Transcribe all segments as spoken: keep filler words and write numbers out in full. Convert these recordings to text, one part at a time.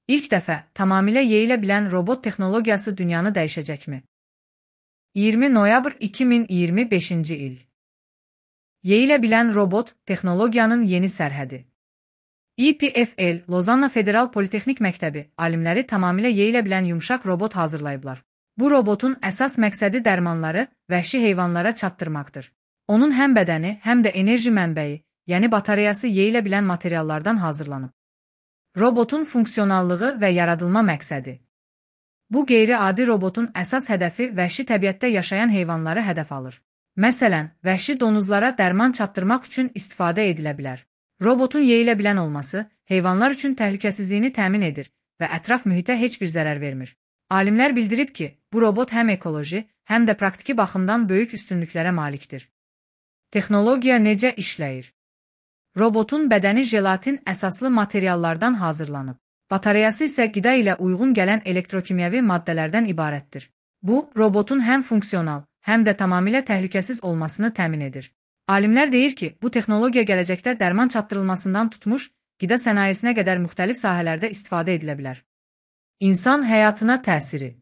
İlk dəfə tamamilə yeyilə bilən robot texnologiyası dünyanı dəyişəcəkmi? iyirmi noyabr iki min iyirmi beşinci il. Yeyilə bilən robot texnologiyanın yeni sərhədi. E P F L Lozanna Federal Politexnik Məktəbi alimləri tamamilə yeyilə bilən yumşaq robot hazırlayıblar. Bu robotun əsas məqsədi dərmanları vəhşi heyvanlara çatdırmaqdır. Onun həm bədəni, həm də enerji mənbəyi, yəni batareyası yeyilə bilən materiallardan hazırlanıb. Robotun funksionallığı və yaradılma məqsədi. Bu qeyri-adi robotun əsas hədəfi vəhşi təbiətdə yaşayan heyvanları hədəf alır. Məsələn, vəhşi donuzlara dərman çatdırmaq üçün istifadə edilə bilər. Robotun yeyilə bilən olması heyvanlar üçün təhlükəsizliyini təmin edir və ətraf mühitə heç bir zərər vermir. Alimlər bildirib ki, bu robot həm ekoloji, həm də praktiki baxımdan böyük üstünlüklərə malikdir. Texnologiya necə işləyir? Robotun bədəni jelatin əsaslı materiallardan hazırlanıb. Batareyası isə qida ilə uyğun gələn elektrokimyəvi maddələrdən ibarətdir. Bu, robotun həm funksional, həm də tamamilə təhlükəsiz olmasını təmin edir. Alimlər deyir ki, bu texnologiya gələcəkdə dərman çatdırılmasından tutmuş, qida sənayesinə qədər müxtəlif sahələrdə istifadə edilə bilər. İnsan həyatına təsiri.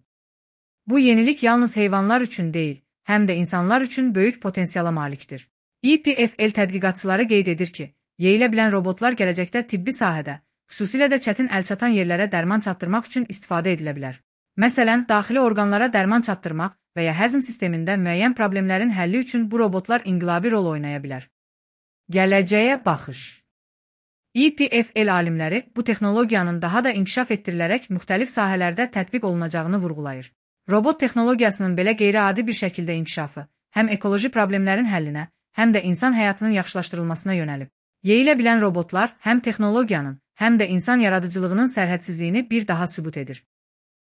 Bu yenilik yalnız heyvanlar üçün deyil, həm də insanlar üçün böyük potensiala malikdir. E P F L tədqiqatçıları qeyd edir ki, yeyilə bilən robotlar gələcəkdə tibbi sahədə, xüsusilə də çətin əlçatan yerlərə dərman çatdırmaq üçün istifadə edilə bilər. Məsələn, daxili orqanlara dərman çatdırmaq və ya həzm sistemində müəyyən problemlərin həlli üçün bu robotlar inqilabi rol oynaya bilər. Gələcəyə baxış. E P F L alimləri bu texnologiyanın daha da inkişaf etdirilərək müxtəlif sahələrdə tətbiq olunacağını vurğulayır. Robot texnologiyasının belə qeyri-adi bir şəkildə inkişafı həm ekoloji problemlərin həllinə, həm də insan həyatının yaxşılaşdırılmasına yönəlib. Yeyilə bilən robotlar həm texnologiyanın, həm də insan yaradıcılığının sərhədsizliyini bir daha sübut edir.